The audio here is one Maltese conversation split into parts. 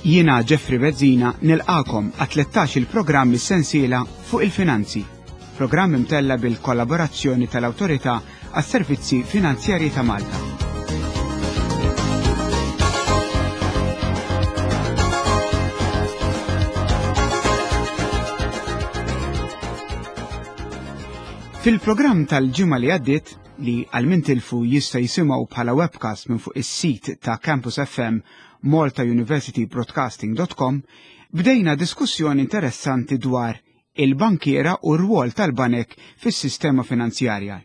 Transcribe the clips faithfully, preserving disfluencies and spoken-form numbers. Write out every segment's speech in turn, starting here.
Jiena Jeffrey Bezzina nilqagħkom għat-tlettax il-programm sensiela fuq il-finanzi. Programm imtella bil-kollaborazzjoni tal-Awtorità għas-Servizzi Finanzjarji ta' Malta. Fil-programm tal-ġimgħa li għaddiet, li għal min tilfu jista' jisimgħu bħala webcast minn fuq is-sit ta' Campus F M malta university broadcasting dot com, bdejna diskussjoni interessanti dwar il-bankiera u r-rwol tal-banek fis-sistema finanzjarja.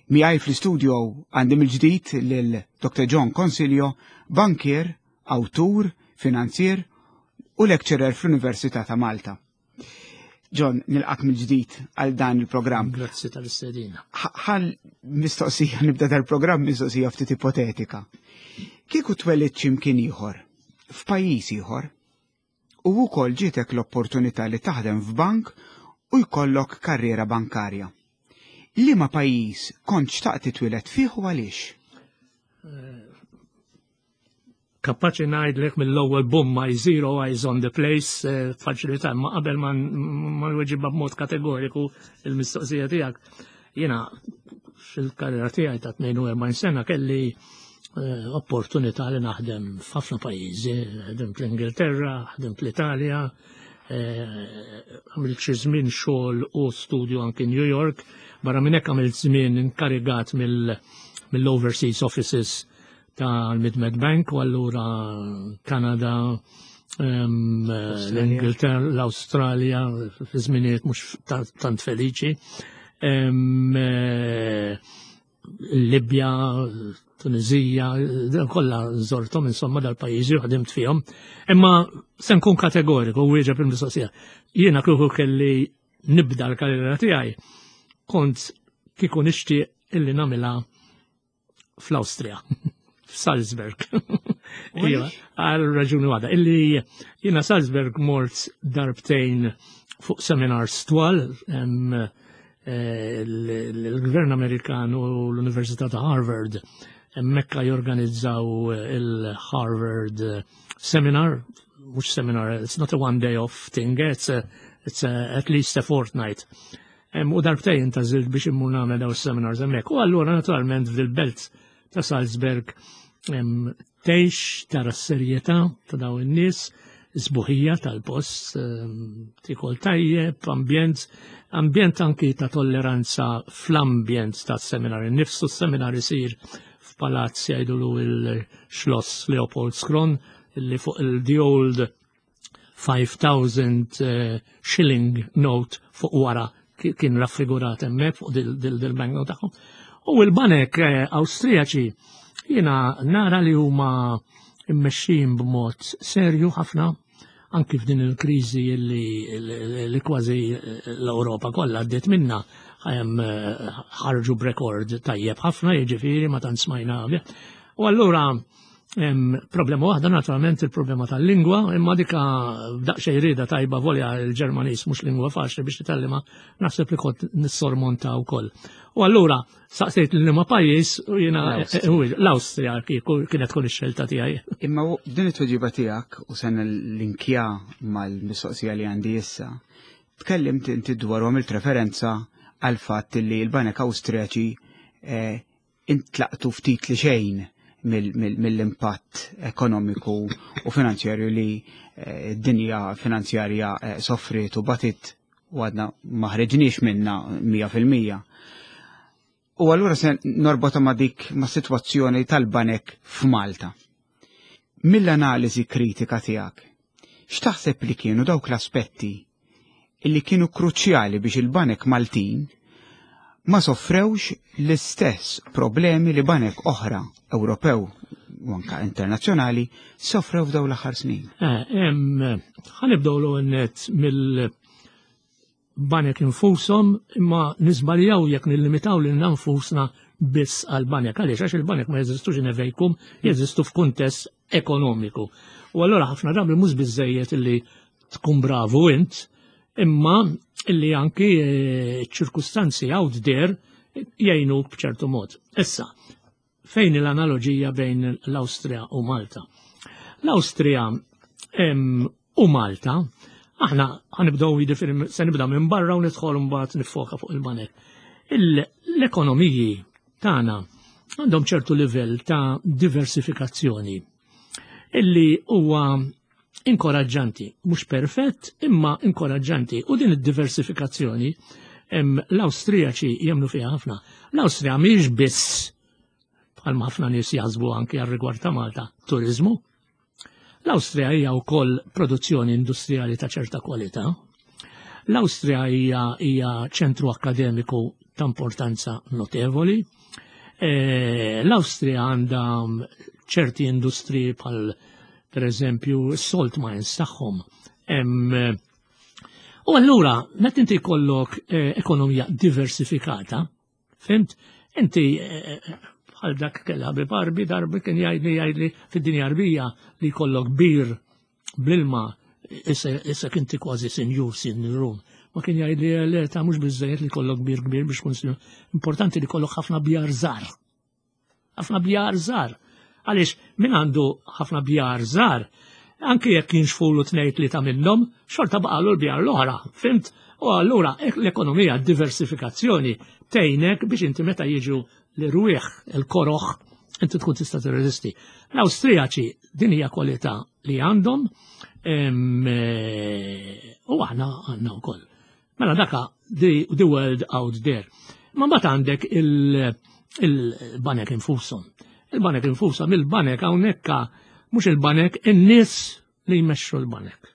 Miegħi fl-istudio għandi mill-ġdid lil Doctor John Consiglio, bankier, awtur, finanzier u lecturer fl-Università ta' Malta. John, nilqgħek mill-ġdid għal dan il-programm. Grazzi tal-istedina. Ħal mistoqsija, nibda dal-programm mistoqsija ftit ipotetika. Kieku twelidt x'imkien ieħor, f'pajjiż ieħor, u wkoll ġietek l-opportunità li taħdem f'bank u jkollok karriera bankarja. Liema pajjiż kont xtaqt titwieled fih u għaliex? Kapaċi ngħidlek mill-ewwel, boom, my zero eyes on the place, eh, faċilità, ma qabel ma nweġibha b'mod kategoriku il-mistoqsija tiegħek. Jiena fil-karriera tiegħi ta' tnejn u erbgħin sena kelli eh, opportunità li naħdem f'ħafna pajjiżi, ħdimt l-Ingilterra, ħdimt l-Italja, eh, għamilt xi żmien xogħol u studju anki New York, barra minn hekk għamilt żmien inkarigat mill-overseas offices tal-Mid-Med Bank u allura Kanada, l-Ingilterra, l-Australia, fi żminijiet mhux tant feliċi. Eh, Libja, Tunizija, kollha żorthom insomma dal-pajjiżi u ħdimt fihom. Imma se nkun kategoriku u wieġeb il-mistoqsija. Jiena kieku kelli nibda l-karriera tiegħi, kont kieku nixtieq illi nagħmilha fl-Awstrija, f'Salzburg. Iva, għal raġuni waħda. Illi jiena Salzburg mort darbtejn fuq seminars twal, eh, l-Gvern Amerikan u l-Università ta' Harvard hemmhekk jorganizzaw il-Harvard Seminar, mhux seminar, it's not a one day off thing, it's, a, it's a, at least a fortnight. U darbtejn għażilt biex immur nagħmel daw seminars hemmhekk. U allura naturalment fil-belt ta' Salzburg tgħix, tara s-serjetà ta' daw in-nies, sbuħija tal-post, tikol tajjeb, ambjent, ambjent anki ta' tolleranza fl-ambjent ta' seminar. Nifsu s-seminar isir f'palazz jgħidulu il-Schloss Leopoldskron, li fuq il-the old five thousand eh, shilling note fuq wara kien raffigurat hemmhekk fuq dil-banknote tagħhom. U l-banek eh, Awstrijaċi jiena nara li huma immexxin b'mod serju ħafna anki f'din il-kriżi li, li kważi l-Ewropa kollha għaddiet minna, ħarġu b'rekord tajjeb ħafna, jiġifieri ma tant smajna. U allura problema waħda naturalment il-problema tal-lingwa, imma dika daqsxejn rieda tajba, volja il-Ġermaniż mhux lingwa faċli biex titgħallimha, naħseb li kont nissormonta wkoll. U allura saqsejt liema pajjiż u jiena l-Awstrija kienet tkun ix-xelta tiegħi. Imma din it-tweġiba tiegħek, u se nillinkja mal-mistoqsija li għandi issa, tkellimt inti dwar u għamilt referenza għal fatt li l-banek Awstrijaċi eh, intlaqtu ftit li xejn mill-impatt ekonomiku u finanzjarju li eh, d-dinja finanzjarja eh, soffriet u batit u għadna ma ħreġniex minna mija fil-mija. U allura se norbota ma' dik ma' situazzjoni tal-banek f'Malta. Mill-analiżi kritika tiegħek, x'taħseb li kienu dawk l-aspetti illi kienu kruċjali biex il-banek Maltin ma soffrewx l-istess problemi li banek oħra Ewropew u anka internazzjonali soffrew f'daw l-aħħar snin? Eh, ħa nibdew l-net mill-banek infushom, imma niżbaljaw jekk nillimitaw lil nfusna biss għal-banek. Għaliex? Għax il-banek ma jeżistux in a vacuum, jeżistu f'kuntest ekonomiku. U allura ħafna drabi mhux biżejjed illi tkun bravu int, imma illi anki eh, ċirkustanzi out there jgħinu b'ċertu mod. Issa, fejn l-analogija bejn l-Awstrija u Malta? L-Awstrija U Malta, aħna ħa nibdew, jiġifieri se nibda minn barra u nidħol mbagħad nifoka fuq il-banek. L-ekonomiji tagħna għandhom ċertu livell ta' diversifikazzjoni illi huwa inkoraġġanti, mhux perfett imma inkoraġġanti, u din id-diversifikazzjoni l-Awstrijaċi jemmnu fiha ħafna. L-Awstrija mhijiex biss, bħalma ħafna nies jaħsbu anki għal rigward ta' Malta, turizmu. L-Awstrija hija wkoll produzzjoni industrijali ta' ċerta kwalità. L-Awstrija hija hija ċentru akademiku ta' importanza notevoli. E, L-Awstrija għandha ċerti industriji bħal per eżempju salt mines tagħhom. U allura, meta inti jkollok eh, ekonomija diversifikata, fhimt, inti eh, bħal dak kellha ħabib Għarbi darba kien jgħidli jgħidli fid-dinja Għarbija li jkollok bir bl-ilma issa inti kważi sinjur, sinjurun. Ma kien jgħidli le, ta' mhux biżejjed li jkollok bir kbir biex tkun sinjur. Importanti li jkollok ħafna bjar żgħar. Ħafna bjar żgħar. Għaliex min għandu ħafna bjar żgħar, anki jekk jinxfulu tnejn tlieta minnhom, xorta baqalu l-bjar l-oħra, fhimt? U allura l-ekonomija, diversifikazzjoni tgħinek biex inti meta jiġu l-irwieħ, il-koroħ, inti tkun tista' tirreżisti. L-Awstrijaċi din hija kwalità li għandhom u aħna għandna wkoll. Mela daka the, the world out there. Ma mbagħad għandek il-banek infushom. Il-banek infushom, il-banek hawnhekk mhux il-banek, in-nies li jmexxu l-banek.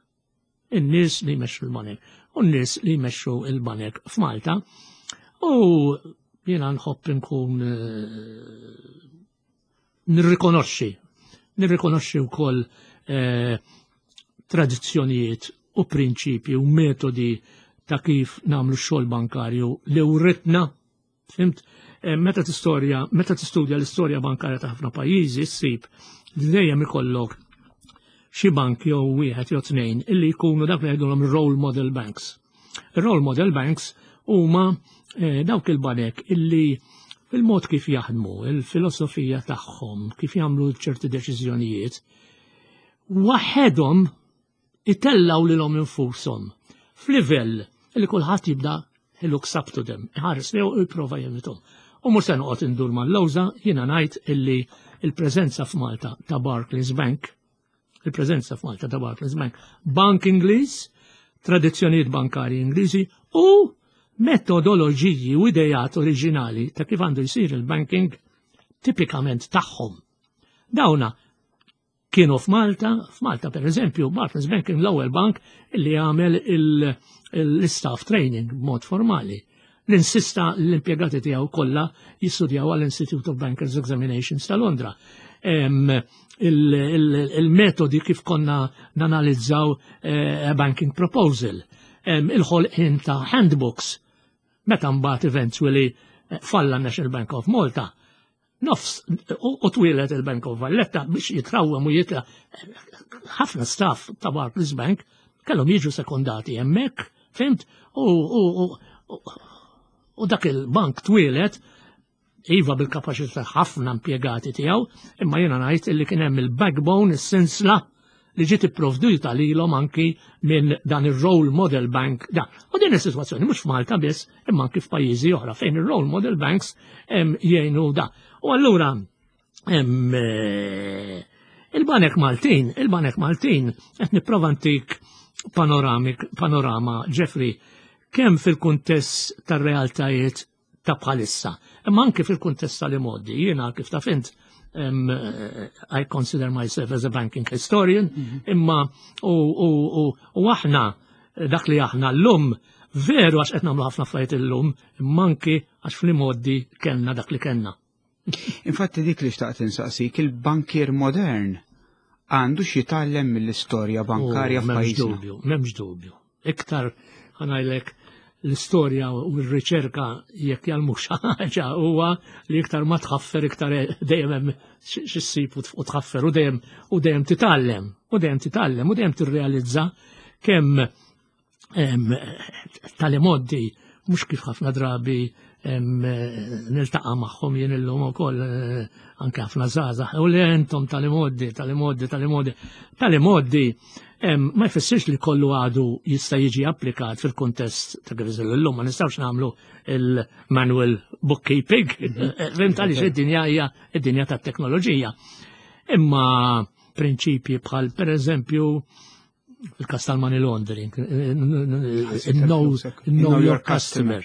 In-nies li jmexxu l-banek. U n-nies li jmexxu l-banek f'Malta. U jiena nħobb nkun eh, nirrikonoxxi, nirrikonoxxi wkoll eh, tradizzjonijiet u prinċipji u metodi ta' kif nagħmlu xogħol bankarju li writna, fhimt, eh, meta tistorja, meta tistudja l-istorja bankarja ta' ħafna pajjiżi, ssib li dejjem ikollok xi bank jew wieħed jew tnejn illi jkunu dak li jgħidulhom role model banks. Role model banks huma eh, dawk il-banek illi fil-mod kif jaħdmu, il-filosofija tagħhom, kif jagħmlu ċerti deċiżjonijiet, waħedhom itellaw lilhom infushom f'livell li kulħadd jibda he looks up to them, iħares li u jipprova jimitahom. U mhux se noqgħod indur mal-lawża, jiena ngħid illi il-preżenza f'Malta ta' Barclays Bank, il-preżenza f'Malta ta' Barclays Bank, Bank Ingliż, tradizzjonijiet bankari Ingliżi u metodoloġiji u idejat oriġinali ta' kif għandu jsir il-banking tipikament tagħhom. Dawna kienu f'Malta, f'Malta per eżempju, Barclays Bank kien l-ewwel bank li għamel l-staff training b'mod formali. L-insista l-impjegati tiegħu kollha jistudjaw għall-Institute of Bankers Examinations ta' Londra. Il-metodi kif konna nanalizzaw eh, banking proposal, il-ħolqien ta' handbooks, meta mbagħad eventually eh, falla National Bank of Malta, nofs u twieled il-Bank of Valletta biex jitrawem u jitla ħafna staff ta' Barclays Bank kellhom jiġu sekondati hemmhekk, fhimt? U, u dak il-bank twieled iva bil-kapaċità ħafna impjegati tiegħu, imma jiena ngħid illi kien hemm il-backbone, is-sinsla li ġiet ipprovduta lilhom anki minn dan ir-role model bank. Da. U din is-sitwazzjoni mhux f'Malta biss, imma anki f'pajjiżi oħra fejn ir-role model banks jgħinu da. U allura eh, il-Banek Maltin, il-Banek Maltin, qed nipprova ntik panoramik, panorama, Jeffrey, kemm fil-kuntest tar-realtajiet ta' bħalissa, imma anke fil-kuntest tal-imgħoddi. Jiena, kif taf int, um, I consider myself as a banking historian, mm -hmm. imma u, u, u, u aħna dak li aħna l-lum veru għax qed nagħmlu ħafna affarijiet illum, imma anki għax fl-imgħoddi kellna dak li kellna. Infatti dik li xtaqt insaqsik, il-bankier modern għandu x'jitgħallem mill-istorja bankarja oh, M'hemmx f'pajjiżna? Dubju, m'hemmx dubju. Iktar ħa ngħidlek, l-istorja u r-riċerka jekk jgħallmuk xi ħaġa huwa li iktar ma tħaffer, iktar dejjem hemm xi ssib u tħaffer u dejjem u dejjem titgħallem u dejjem titgħallem u dejjem tirrealizza kemm tal-imgħoddi Mhux kif ħafna drabi niltaqa' magħhom jien illum ukoll, eh, anke ħafna żgħażagħ, u li intom tal-imgħoddi, tal-imgħoddi, tal-imgħoddi. Tal-imgħoddi ma jfissirx li kollu għadu jista' jiġi applikat fil-kuntest ta' kif illum ma nistgħux nagħmlu il-manual bookkeeping. Fhimt, għaliex id-dinja hija id-dinja tat-teknoloġija. Imma prinċipji bħal, per eżempju, fil-kas tal-money laundering, know, know your customer.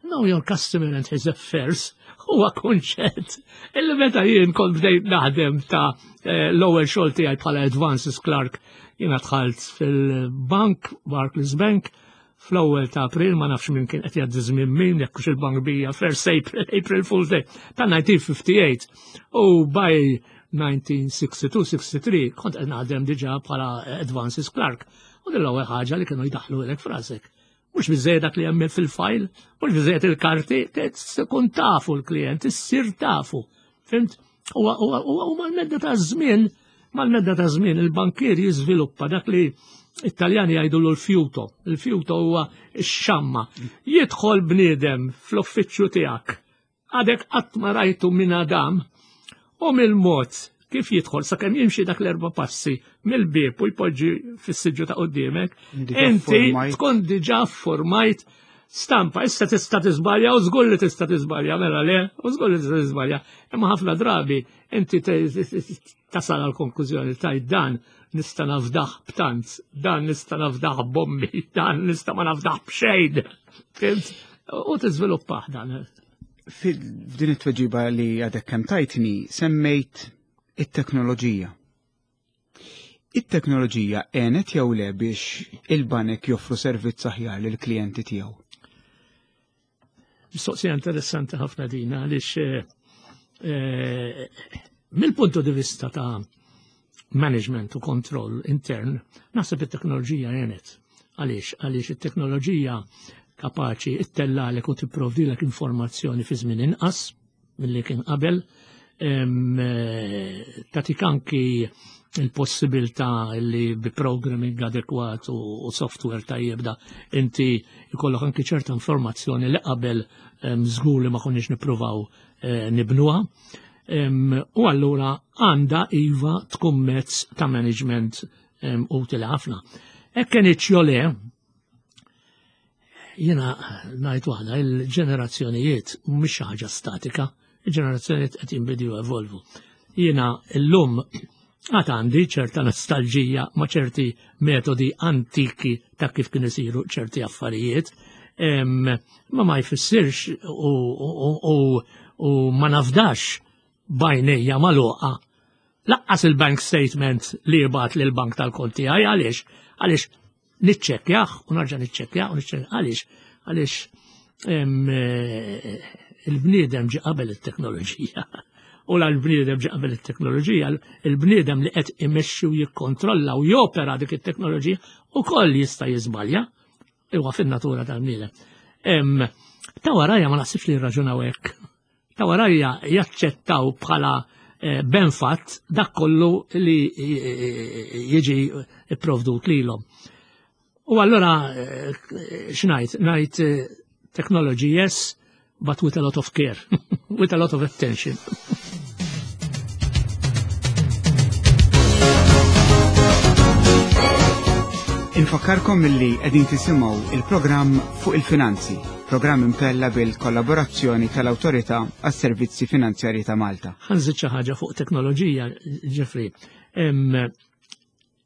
Know your customer and his affairs huwa kunċett illi meta jien kont bdejt naħdem ta' eh, l-ewwel xogħol tiegħi bħala advances clerk, jiena dħalt fil-bank, Barclays Bank, fl-ewwel ta' April, ma nafx minn kien qed jgħaddi żmien min, jekk hux il-bank bija first April, April Fool's Day ta' elf disa' mija u ħamsa u ħamsin. U by elf disa' mija u sittaw disgħin sitta u disgħin kont qed naħdem diġà bħala advances clerk. U din l-ewwel ħaġa li kienu jdaħlu lilek f'rasek. Mhux biżejjed dak li hemm fil-file, mhux biżejjed il-karti, tkun tafu l-klient, issir tafu. Fhimt? U mal-medda ta' żmien, mal-medda ta' żmien il-bankier jiżviluppa dak li Italjani jgħidu l-fiuto. Il-fiuto huwa x-xamma. Jidħol bniedem fl-uffiċċju tiegħek. Għadek qatt ma rajtu minn Adam, u mill-mod kif jidħol sakemm jimxi dak l-erba' passi mill-bieb u jpoġġi fis-siġġu ta' quddiemek, inti tkun diġà formajt stampa. Issa tista' tiżbalja, u żgur li tista' tiżbalja, mela le, u żgur li tista' tiżbalja. Imma ħafna drabi inti tasal għal konklużjoni taj dan nista' nafdaħ b'tant, dan nista' nafdaħ b'ommi, dan nista' ma nafdaħ b'xejn. U tiżviluppah dan. F'din it-tweġiba li għadek kemm tajtni semmejt it-teknoloġija. It-teknoloġija għenet jew le biex il-banek joffru servizz aħjar lill-klijenti tiegħu? Mistoqsija interessanti ħafna din, għaliex eh, eh, mill-punto di vista ta' management u kontroll intern, naħseb it-teknoloġija għenet. Għaliex? Għaliex it-teknoloġija kapaċi ittellagħlek u tipprovdilek informazzjoni fi żmien inqas milli kien qabel, eh, tagħtik anki il-possibilità li bi programming adekwat u software tajjeb da inti jkollok anki ċerta informazzjoni li qabel żgur li ma konniex nippruvaw eh, nibnuha. U allura għandha, iva, tkun mezz ta' management utili ħafna. Hekk kien le, jiena ngħid waħda, il-ġenerazzjonijiet mhix xi ħaġa statika, il-ġenerazzjonijiet qed jinbidlu, evolvu. Jiena llum għad għandi ċerta nostalġija ma' ċerti metodi antiki ta' kif kien isiru ċerti affarijiet, ma ma jfissirx u, u, u, u ma nafdax b'għajnejja magħluqa lanqas il-bank statement li jibgħat lil bank tal-kont tiegħi. Għaliex? Għaliex niċċekkjah u narġa' niċċekkjah u niċċekkjah. Għaliex? Għaliex eh, il-bniedem ġi qabel it-teknoloġija. U la l-bniedem ġi qabel it-teknoloġija, il-bniedem li qed imexxi u jikkontrolla u jopera dik it-teknoloġija ukoll jista' jiżbalja. Huwa fin-natura tal-bniedem. Ta' warajja ma naħsibx li jirraġunaw hekk. Ta' warajja jaċċettaw bħala eh, benfatt dak kollu li eh, jiġi ipprovdut lilhom. U allora eh, x'ngħid? Ngħid technology yes, but with a lot of care, with a lot of attention. Infakkarkom milli qegħdin tisimgħu il-programm Fuq il-Finanzi, programm imtella bil-kollaborazzjoni tal-Awtorità għas-Servizzi Finanzjarji ta' Malta. Ħa nżid xi ħaġa fuq teknoloġija, Jeffrey.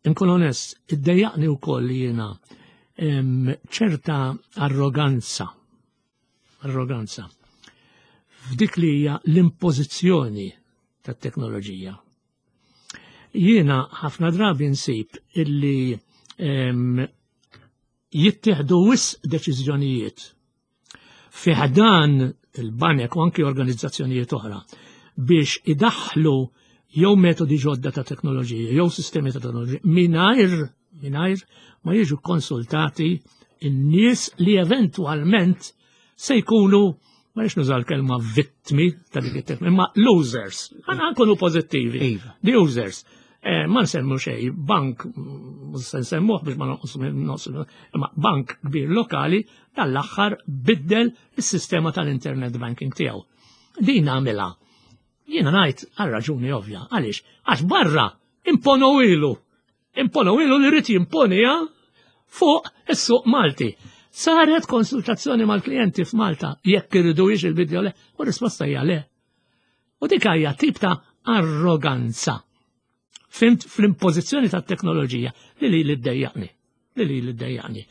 Inkun onest, iddejjaqni wkoll li jiena ċerta arroganza, arroganza, f'dik li hija l-impożizzjoni tat-teknoloġija. Jiena ħafna drabi nsib illi jittieħdu wisq deċiżjonijiet fi ħdan il-banek u anki organizzazzjonijiet oħra biex idaħħlu jew metodi ġodda ta' teknoloġija jew sistemi ta' teknoloġija mingħajr mingħajr ma jiġu konsultati in-nies li eventwalment se jkunu, ma rridx nuża l-kelma vittmi ta' dik it-teknoloġija, imma losers. Għana nkunu pożittivi. Iva. The users. Eh, ma nsemmu xej, bank, mhux se nsemmuh biex ma nonqos, imma bank kbir lokali tal-aħħar biddel is-sistema tal-internet banking tiegħu. Din għamilha. Jiena ngħid għal raġuni ovvja. Għaliex? Għax barra imponu ilu. Imponu ilu li rrid jimponija fuq is-suq Malti. Saret konsultazzjoni mal-klijenti f'Malta jekk iridu jiex il-bidja le, u risposta hija le. U dik hija tip ta' arroganza. Fhimt, fl-impożizzjoni ta' teknoloġija li li li ddejjaqni. Li li li ddejjaqni.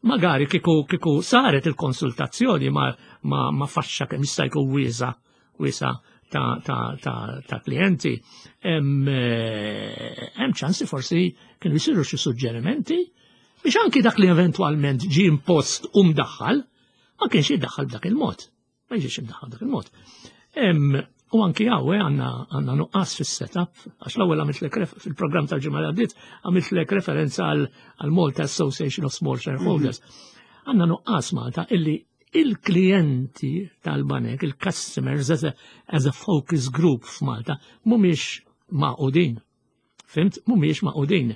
Magari kiku kiku saret il-konsultazzjoni ma, ma, ma faxxa kemm jista' jkun wiesa wiesa ta', ta, ta, ta' klijenti, hemm eh, ċansi forsi kienu jsiru xi suġġerimenti biex anki dak li eventwalment ġi impost u mdaħħal, ma kienx jiddaħħal b'dak il-mod. Ma jiġix imdaħħal b'dak il-mod. U anki hawn għandna għandna nuqqas fis-setup, għax l-ewwel għamiltlek fil-programm tal-ġimgħa li għaddiet għamiltlek referenza għal Malta Association of Small Shareholders. Għandna nuqqas Malta illi il-klijenti tal-banek, il-customers as a, as a focus group f'Malta, mhumiex magħqudin. Fhimt? Mhumiex magħqudin.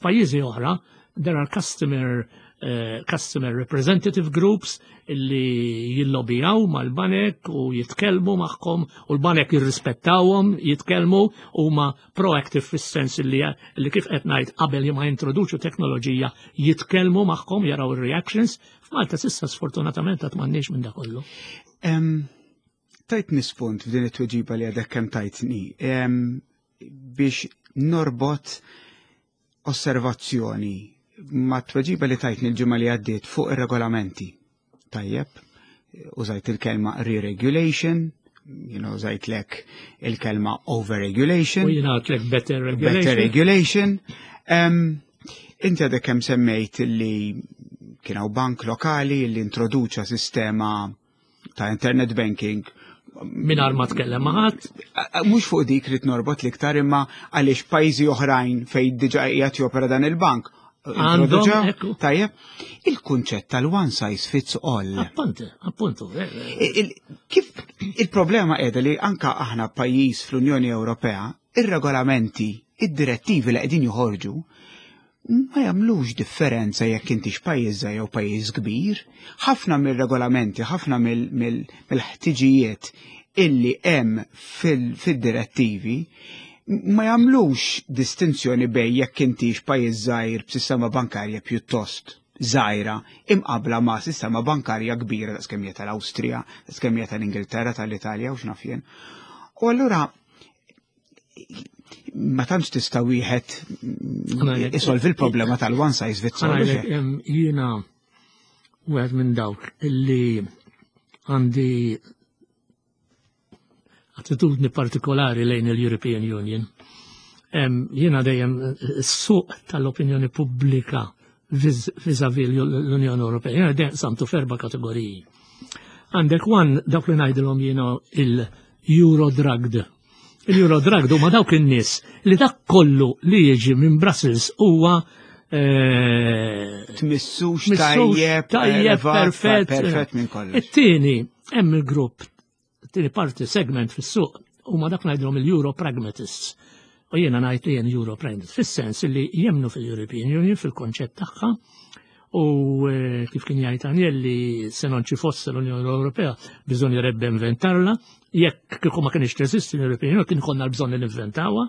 F'pajjiżi oħra, there are customer uh, customer representative groups illi jillobijaw mal-banek u jitkellmu magħhom u l-banek jirrispettawhom, jitkellmu u ma proactive fis-sens illi, illi kif qed ngħid qabel ma jintroduċu teknoloġija jitkellmu magħhom, jaraw ir-reactions. F'Malta s'issa sfortunatament għad m'għandniex minn dak kollu. Tajtni spunt f'din it-tweġiba li għadek kemm tajtni biex norbot osservazzjoni ma tweġiba li tajtni l-ġimgħa li għaddiet fuq ir-regolamenti. Tajjeb, użajt il-kelma re-regulation, you know, użajtlek il-kelma overregulation. U jiena għedtlek better regulation. Better regulation. Um, inti għadek kemm semmejt li kien hawn bank lokali li introduċa sistema ta' internet banking mingħajr ma tkellem ma' ħadd. Mhux fuq dik rrid norbot l-iktar, imma għaliex pajjiżi oħrajn fejn diġà qiegħed jopera dan il-bank għandhom. Tajjeb, il-kunċett tal-one size fits all. Appunto, appunto. Kif il-problema qiegħda li anka aħna pajjiż fl-Unjoni Ewropea, ir-regolamenti, id-direttivi li qegħdin joħorġu ma jagħmlux differenza jekk intix pajjiż jew pajjiż kbir. Ħafna mill-regolamenti, ħafna mill-ħtiġijiet illi hemm fil-direttivi ma jagħmlux distinzjoni bejn jekk intix pajjiż żgħir b'sistema bankarja pjuttost żgħira imqabla ma' sistema bankarja kbira daqs kemm hija tal-Awstrija, daqs kemm hija tal-Ingilterra, tal-Italja u x'naf jien. U allura ma tantx tista' wieħed isolvi l-problema tal-one size fits all. Jiena wieħed minn dawk illi għandi attitudni partikolari lejn il-European Union. Jiena dejjem s-suq tal-opinjoni pubblika vis-a-vis l-Unjoni Ewropea. Jiena dejjem qsamtu f'erba' kategoriji. Għandek one dawk li ngħidilhom jiena il-Eurodrugged. Il-Eurodrugged huma dawk in-nies li dak kollu li jiġi minn Brussels huwa eh, Tmissux, tajjeb, tajjeb, perfett. Perfett minn kollox. It-tieni hemm il-grupp, it-tieni parti segment fis-suq huma dak ngħidilhom il-Euro Pragmatists. U jiena ngħid li jien Euro Pragmatist fis-sens li jemnu fil-European Union, fil-konċett tagħha, u eh, kif kien jgħid Agnelli, se non ci fosse l-Unjoni Ewropea bisognerebbe inventarla, jekk kieku ma kienx teżisti l-European Union kien konna l-bżonn li ninventawha.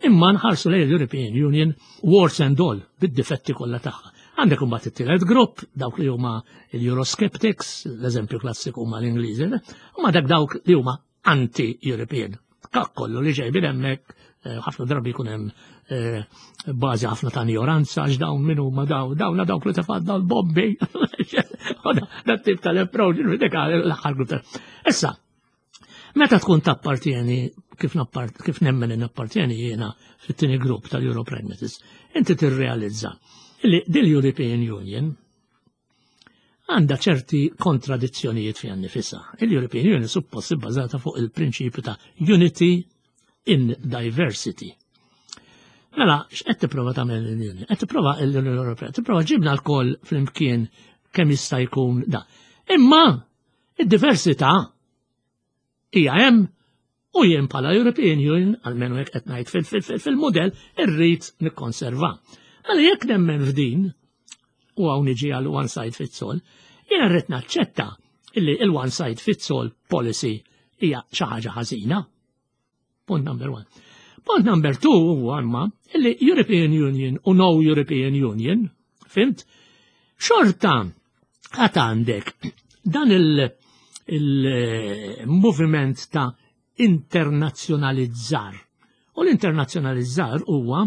Imma nħarsu lejn l-European Union warts and all, bid-difetti kollha tagħha. Għandek imbagħad it-tielet grupp, dawk li huma l-Eurosceptics, l-eżempju klassiku huma l-Ingliżi, huma dak dawk li huma anti-European. Dak kollu li ġej minn hemmhekk, eh, ħafna drabi jkun hemm eh, bażi ħafna ta' ignoranza, għax dawn min huma daw, dawna dawk li tefgħu l-bombi. Dat tip tal-approach, dik l-aħħar grupp. Issa, meta tkun tappartieni, kif, kif nemmen nappartieni jiena fit-tieni grupp tal-Euro Pragmatists, inti tirrealizza li dil-European Union għandha ċerti kontradizzjonijiet fiha nnifisha. Il-European Union suppost bbażata fuq il-prinċipju ta' unity in diversity. Mela, x'qed tipprova tagħmel l-Unjoni? Qed tipprova l-Unjoni Ewropea, tipprova ġibna lkoll flimkien kemm jista' jkun da. Imma id-diversità hija hemm U jien bħala European Union, almenu hekk qed ngħid fil-modell, irrid nikkonserva. Mela jekk nemmen f'din, u hawn niġi għal one size fits all, jiena rrid naċċetta illi il-one size fits all policy hija xi ħaġa ħażina. Point number one. Point number two huwa imma illi European Union u no European Union, fhimt? Xorta għad għandek dan il-moviment il ta' internazzjonalizzar. U l-internazzjonalizzar huwa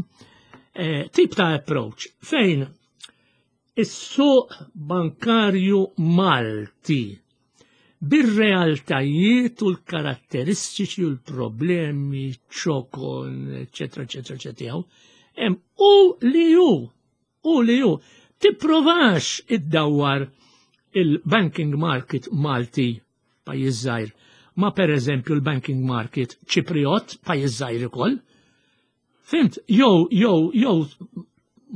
eh, tip ta' approach fejn is-suq bankarju Malti bir-realtajiet u l-karatteristiċi u l-problemi, ċokon, eccetera, eccetera, eccetera, u li ju, u li ju, tipprovax iddawwar il-banking market Malti, pajjiż żgħir, ma per eżempju l-banking market Ċipriot, pajjiż żgħir ukoll. Fhimt, jew jew jew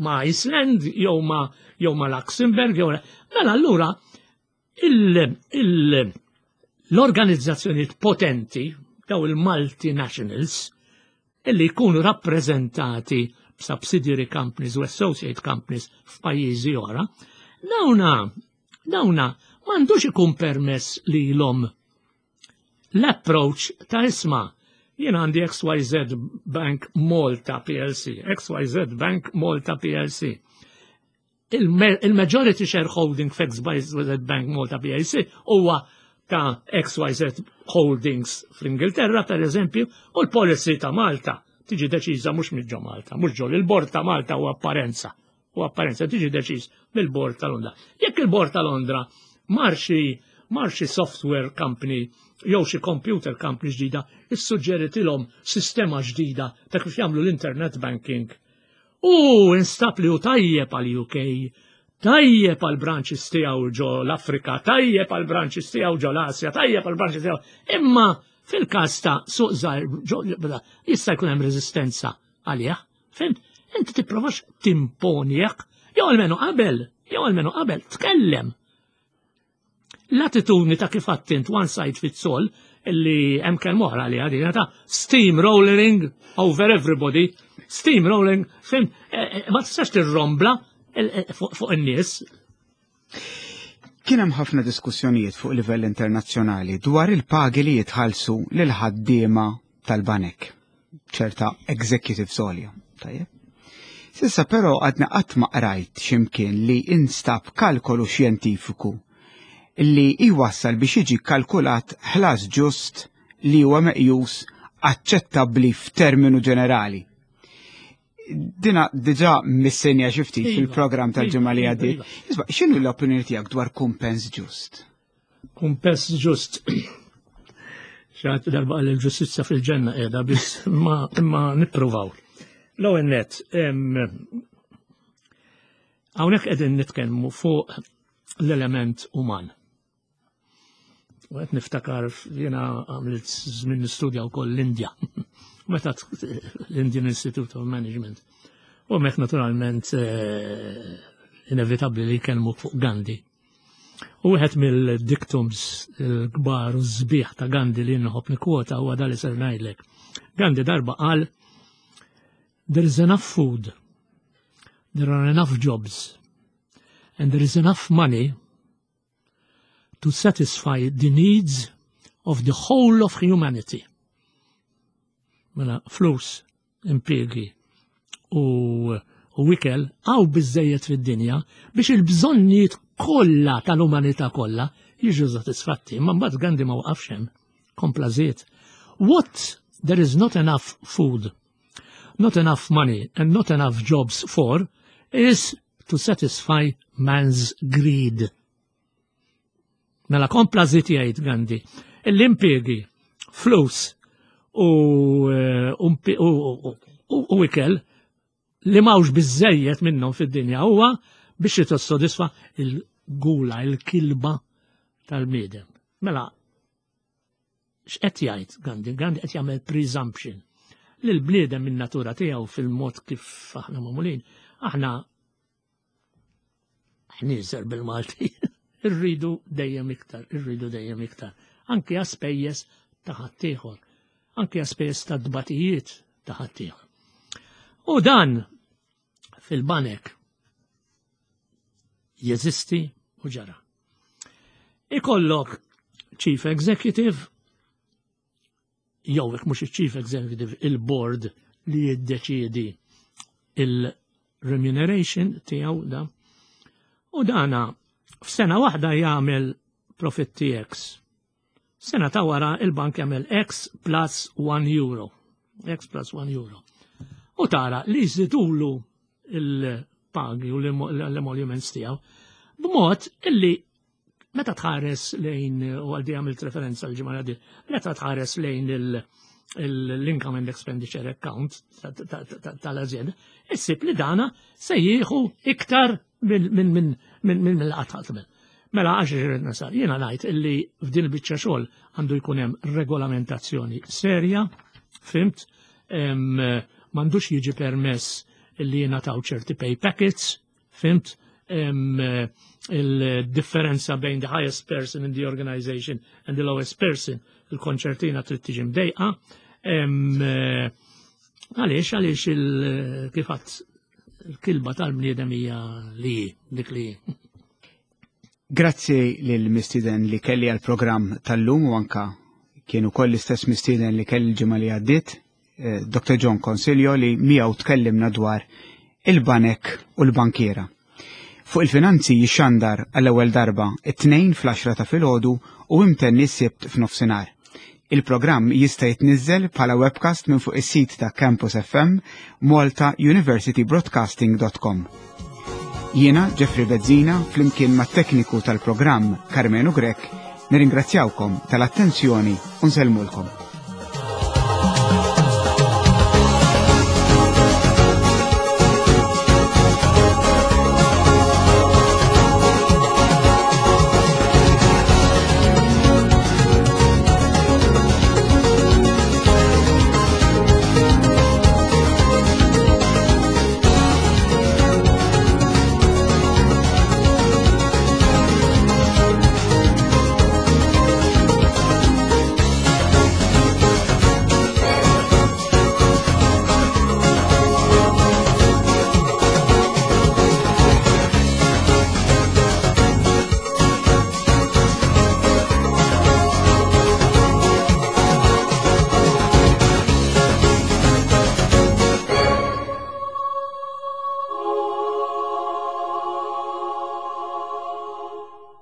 ma Iceland, jew ma jew ma Luxembourg, jew mela allura l-organizzazzjonijiet potenti daw il-multinationals illi jkunu rappreżentati b'subsidiary companies u associate companies f'pajjiżi oħra, dawna dawna m'għandux ikun permess lilhom l-approach ta' isma' jien għandi X Y Z Bank Malta P L C, X Y Z Bank Malta P L C. Il-majority shareholding f'X Y Z Bank Malta P L C huwa ta' X Y Z Holdings fl-Ingilterra, per eżempju, u l-policy ta' Malta tiġi deċiża mhux minn ġo Malta, mhux ġo il-bord ta' Malta u apparenza. U apparenza tiġi deċiż mill-bord ta' Londra. Jekk il-bord ta' Londra mar xi mar xi software company jew xi computer company ġdida, issuġġeritilhom sistema ġdida ta' kif jagħmlu l-internet banking. U instab li hu tajjeb għal U K, tajjeb għal branches tiegħu ġo l-Afrika, tajjeb għal branches tiegħu ġo l-Asja, tajjeb għal branches tiegħu. Imma fil-każ ta' suq żgħir jista' jkun hemm reżistenza għalih. Fhimt? Inti tipprovax timponjek, jew almenu qabel, jew almenu qabel, tkellem. L-attitudni ta' kif għedt int one size fits all, illi hemm kelma oħra li għadina ta' steamrolling over everybody, steamrolling, fhimt, eh, eh, ma tistax tirrombla eh, fuq in-nies. Kien hemm ħafna diskussjonijiet fuq livell internazzjonali dwar il-pagi li jitħallsu lil ħaddiema tal-banek, ċerta executive għolja. Tajjeb. S'issa però għadna qatt ma qrajt x'imkien li instab kalkolu xjentifiku li jwassal biex jiġi kalkulat ħlas ġust li huwa meqjus aċċettabbli f'terminu ġenerali. Dina diġà missenja xi ftit Iva, fil-programm tal-ġimgħa li iva, għaddiet. iva. Isma', x'inhu l-opinjoni tiegħek dwar kumpens ġust? Kumpens ġust. Xi ħadd darba qal il-ġustizza fil-ġenna qiegħda biss imma imma nippruvaw. L-ewwel net, em, hawnhekk qegħdin nitkellmu fuq l-element uman. U qed niftakar jiena għamilt żmien nistudja wkoll l-Indja. Meta t- l-Indian Institute of Management. U hemmhekk naturalment eh, inevitabbli li jkellmu fuq Gandhi. U wieħed mill-dictums il-kbar u sbieħ ta' Gandhi li nħobb nikkwota huwa dal li ser ngħidlek. Gandhi darba qal: "There is enough food, there are enough jobs, and there is enough money to satisfy the needs of the whole of humanity." Mela flus, impiegi u, u ikel hawn biżżejjed fid-dinja biex il-bżonnijiet kollha tal-umanità kollha jiġu satisfatti. Imma mbagħad Gandhi ma waqafx hemm, kompla żied: "What there is not enough food, not enough money and not enough jobs for is to satisfy man's greed." Mela kompla żied jgħid Gandhi, l-impiegi, flus u, eh, u, u, u, u ikel li m'hawnx biżżejjed minnhom fid-dinja huwa biex jissodisfa il-gula, il-kilba tal-bniedem. Mela, x'qed jgħid Gandhi? Gandhi qed jagħmel presumption li l-bniedem min natura tiegħu, fil-mod kif aħna magħmulin, aħna ħnieżer bil-Malti, irridu dejjem iktar, irridu dejjem iktar. Anki għas-spejjeż ta' ħaddieħor. anke għas-spejjeż ta' dbatijiet ta' ħaddieħor. U dan fil-banek jeżisti u ġara. Ikollok chief executive, jew jekk mhux il-chief executive, il-board li jiddeċiedi il-remuneration tiegħu da. U dana f'sena waħda jagħmel profitti X. Sena ta' wara il-bank jagħmel X plus one euro. X plus one euro. U tara li jżidulu il-pagi u l-emoluments tiegħu b'mod illi meta tħares lejn, u għaldi għamilt referenza l-ġimgħa di, meta tħares lejn l-income and expenditure account tal-azienda, issib li dana se jieħu iktar minn mill-qatt. Mela għax irrid nasal, jiena ngħid illi f'din il-biċċa xogħol għandu jkun hemm regolamentazzjoni serja, fhimt, m'għandux jiġi permess illi jingħataw ċerti pay packets, fhimt, il-differenza bejn the highest person in the organization and the lowest person, il-konċertina trid tiġi mdejqa. Għaliex, għaliex il-kifat il-kilba tal-bniedem hija li dik li. Grazzi lil mistieden li kelli għal-programm tal-lum u anka kienu koll l-istess mistieden li kelli l-ġimgħa li għaddiet, eh, Doctor John Consiglio, li miegħu tkellimna dwar il-banek u l-bankiera. Fuq il-finanzi jixxandar għall-ewwel darba it-Tnejn fl-għaxra ta' filgħodu u imtenni s-Sibt f'nofsinhar. Il-programm jista' jitniżżel bħala webcast minn fuq is-sit ta' Campus F M malta university broadcasting dot com. Jiena Jeffrey Bezzina flimkien mat-tekniku tal-programm Carmenu Grek nirringrazzjawkom tal-attenzjoni u nsellmulkom.